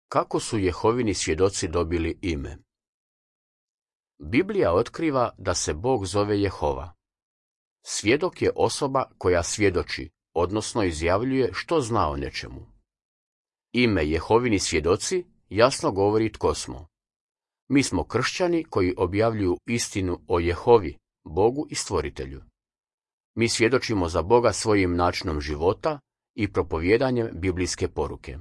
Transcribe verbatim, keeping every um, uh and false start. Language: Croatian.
Kako su Jehovini svjedoci dobili ime? Biblija otkriva da se Bog zove Jehova. Svjedok je osoba koja svjedoči, odnosno izjavljuje što zna o nečemu. Ime Jehovini svjedoci jasno govori tko smo. Mi smo kršćani koji objavljuju istinu o Jehovi, Bogu i Stvoritelju. Mi svjedočimo za Boga svojim načinom života i propovjedanjem biblijske poruke.